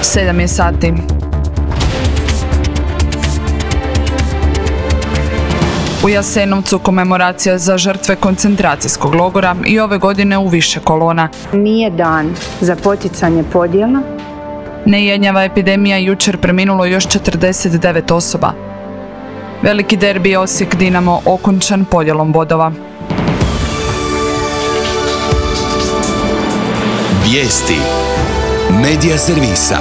7 je sati. U Jasenovcu komemoracija za žrtve koncentracijskog logora i ove godine u više kolona. Nije dan za poticanje podjela. Nejenjava epidemija, jučer preminulo još 49 osoba. Veliki derbi Osijek-Dinamo okončan podjelom bodova. Vijesti Medija servisa.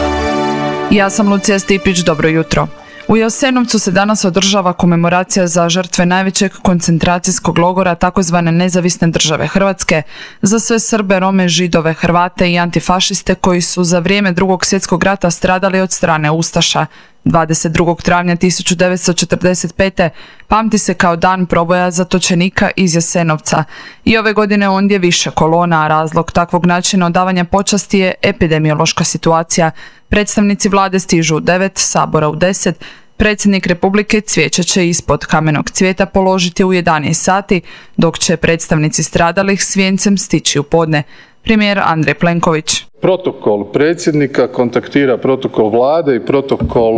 Ja sam Lucija Stipić, dobro jutro. U Jasenovcu se danas održava komemoracija za žrtve najvećeg koncentracijskog logora takozvane nezavisne države Hrvatske za sve Srbe, Rome, Židove, Hrvate i antifašiste koji su za vrijeme Drugog svjetskog rata stradali od strane ustaša. 22. travnja 1945. pamti se kao dan proboja zatočenika iz Jasenovca. I ove godine ondje više kolona, a razlog takvog načina odavanja počasti je epidemiološka situacija. Predstavnici vlade stižu u 9, Sabora u 10, predsjednik Republike cvijeće će ispod kamenog cvijeta položiti u 11 sati, dok će predstavnici stradalih s vijencem stići u podne. Premijer Andrej Plenković. Protokol predsjednika kontaktira protokol vlade i protokol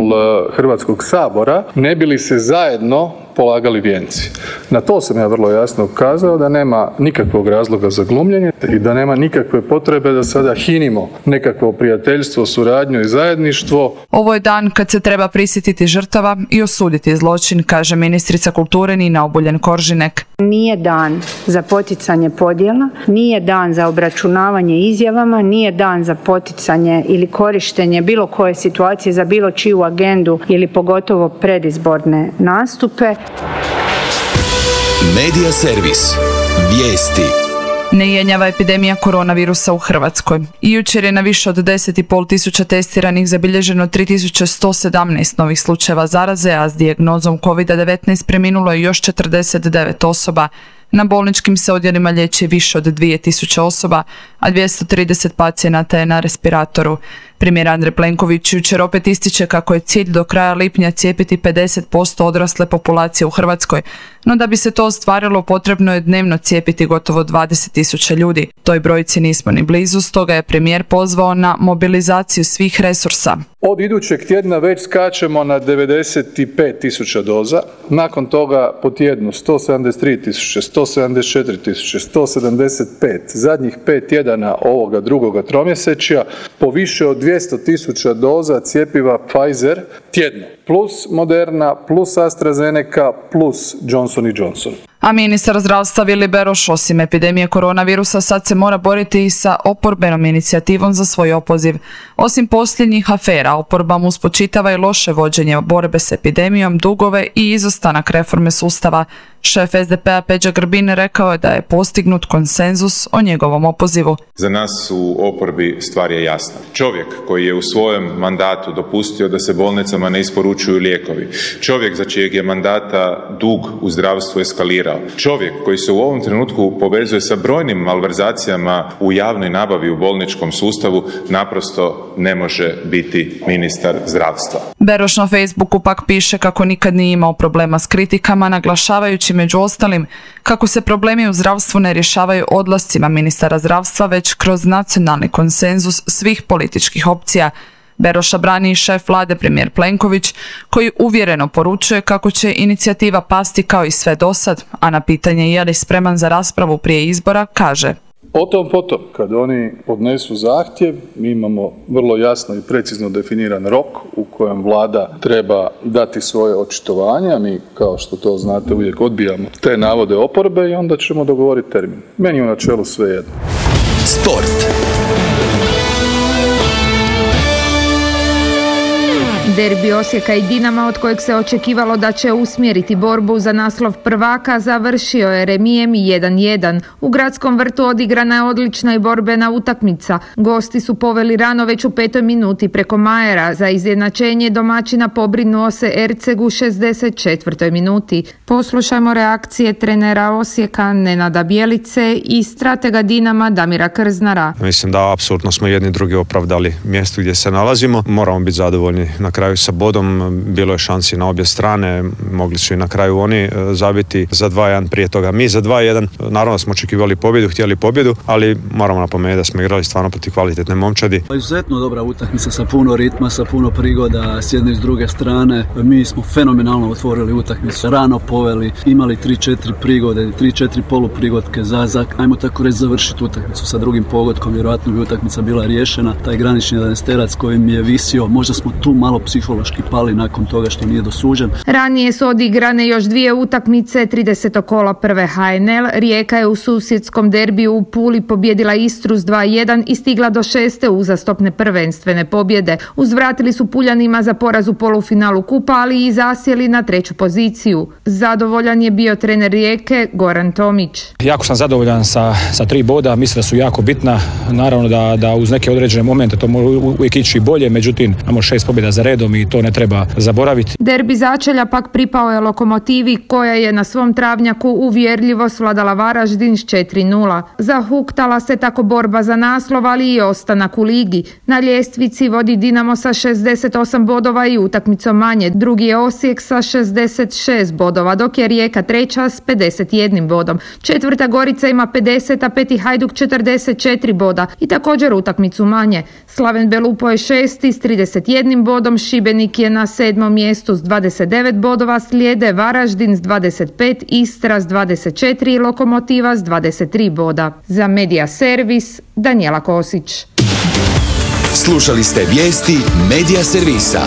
Hrvatskog sabora, ne bi li se zajedno polagali vijenci. Na to sam ja vrlo jasno ukazao da nema nikakvog razloga za glumljenje i da nema nikakve potrebe da sada hinimo nekakvo prijateljstvo, suradnju i zajedništvo. Ovo je dan kad se treba prisjetiti žrtava i osuditi zločin, kaže ministrica kulture Nina Obuljen-Koržinek. Nije dan za poticanje podjela, nije dan za obračunavanje izjavama, nije dan za poticanje ili korištenje bilo koje situacije za bilo čiju agendu ili pogotovo predizborne nastupe. Medija servis. Vijesti. Nejenjava epidemija koronavirusa u Hrvatskoj. I jučer je na više od 10,5 tisuća testiranih zabilježeno 3117 novih slučajeva zaraze, a s dijagnozom COVID-19 preminulo je još 49 osoba. Na bolničkim se odjelima liječi više od 2000 osoba, a 230 pacijenata je na respiratoru. Premijer Andrej Plenković jučer opet ističe kako je cilj do kraja lipnja cijepiti 50% odrasle populacije u Hrvatskoj, no da bi se to ostvarilo potrebno je dnevno cijepiti gotovo 20.000 ljudi. Toj brojci nismo ni blizu, stoga je premijer pozvao na mobilizaciju svih resursa. Od idućeg tjedna već skačemo na 95.000 doza, nakon toga po tjednu 173.000, 174.000, 175, zadnjih 5 tjedana ovoga drugoga tromjesečja po više od 200.000 doza cjepiva Pfizer tjedno, plus Moderna, plus AstraZeneca, plus Johnson & Johnson. A ministar zdravstva Vili Beroš osim epidemije koronavirusa sad se mora boriti i sa oporbenom inicijativom za svoj opoziv. Osim posljednjih afera, oporba mu spočitava i loše vođenje borbe s epidemijom, dugove i izostanak reforme sustava. Šef SDP-a Peđa Grbin rekao je da je postignut konsenzus o njegovom opozivu. Za nas u oporbi stvar je jasna. Čovjek koji je u svojem mandatu dopustio da se bolnicama ne isporučuju lijekovi. Čovjek za čijeg je mandata dug u zdravstvu eskalirao. Čovjek koji se u ovom trenutku povezuje sa brojnim malverzacijama u javnoj nabavi u bolničkom sustavu naprosto ne može biti ministar zdravstva. Beroš na Facebooku pak piše kako nikad nije imao problema s kritikama, naglašavajući među ostalim kako se problemi u zdravstvu ne rješavaju odlascima ministara zdravstva, već kroz nacionalni konsenzus svih političkih opcija. Beroša brani i šef vlade premijer Plenković, koji uvjereno poručuje kako će inicijativa pasti kao i sve dosad, a na pitanje je li spreman za raspravu prije izbora, kaže: O tom potom, kad oni podnesu zahtjev, mi imamo vrlo jasno i precizno definiran rok u kojem vlada treba dati svoje očitovanje, a mi, kao što to znate, uvijek odbijamo te navode oporbe i onda ćemo dogovoriti termin. Meni je u načelu sve jedno. Sport. Derbi Osijeka i Dinama, od kojeg se očekivalo da će usmjeriti borbu za naslov prvaka, završio je remijem 1:1. U Gradskom vrtu odigrana je odlična i borbena utakmica. Gosti su poveli rano već u 5. minuti preko Majera. Za izjednačenje domaćina pobrinuo se Erceg u 64. minuti. Poslušajmo reakcije trenera Osijeka Nenada Bjelice i stratega Dinama Damira Krznara. Mislim da apsolutno smo jedni drugi opravdali mjesto gdje se nalazimo. Moramo biti zadovoljni na kraju kraju sa bodom, bilo je šansi na obje strane, mogli su i na kraju oni zabiti za 2-1 prije toga. Mi za 2-1, naravno smo očekivali pobjedu, htjeli pobjedu, ali moramo napomenuti da smo igrali stvarno protiv kvalitetne momčadi. Izuzetno dobra utakmica sa puno ritma, sa puno prigoda s jedne i s druge strane. Mi smo fenomenalno otvorili utakmicu, rano poveli, imali 3-4 prigode, 3-4 poluprigodke za ajmo tako reći završiti utakmicu sa drugim pogodkom, vjerojatno bi utakmica bila riješena. Taj granični 11-terac koji mi je visio, možda smo tu malo psihološki pali nakon toga što nije dosuđen. Ranije su odigrane još 2 utakmice 30. kola prve HNL. Rijeka je u susjedskom derbiju u Puli pobjedila Istru s 2-1 i stigla do 6. uzastopne prvenstvene pobjede. Uzvratili su Puljanima za poraz u polufinalu kupa, ali i zasjeli na 3. poziciju. Zadovoljan je bio trener Rijeke Goran Tomić. Jako sam zadovoljan sa 3 boda, mislim da su jako bitna. Naravno da uz neke određene momente to može uvijek ići bolje, međutim imamo 6 pobjeda za redom i to ne treba zaboraviti. Derbi začelja pak pripao je Lokomotivi koja je na svom travnjaku uvjerljivo svladala Varaždin s 4-0. Zahuktala se tako borba za naslov, ali i ostanak u ligi. Na ljestvici vodi Dinamo sa 68 bodova i utakmicom manje. Drugi je Osijek sa 66 bodova, dok je Rijeka treća s 51 bodom. Četvrta Gorica ima 50, a peti Hajduk 44 boda i također utakmicu manje. Slaven Belupo je 6. s 31 bodom, Šibenik je na 7. mjestu s 29 bodova, slijede Varaždin s 25, Istra s 24 i Lokomotiva s 23 boda. Za Medija Servis, Danijela Kosić. Slušali ste vijesti Medija Servisa.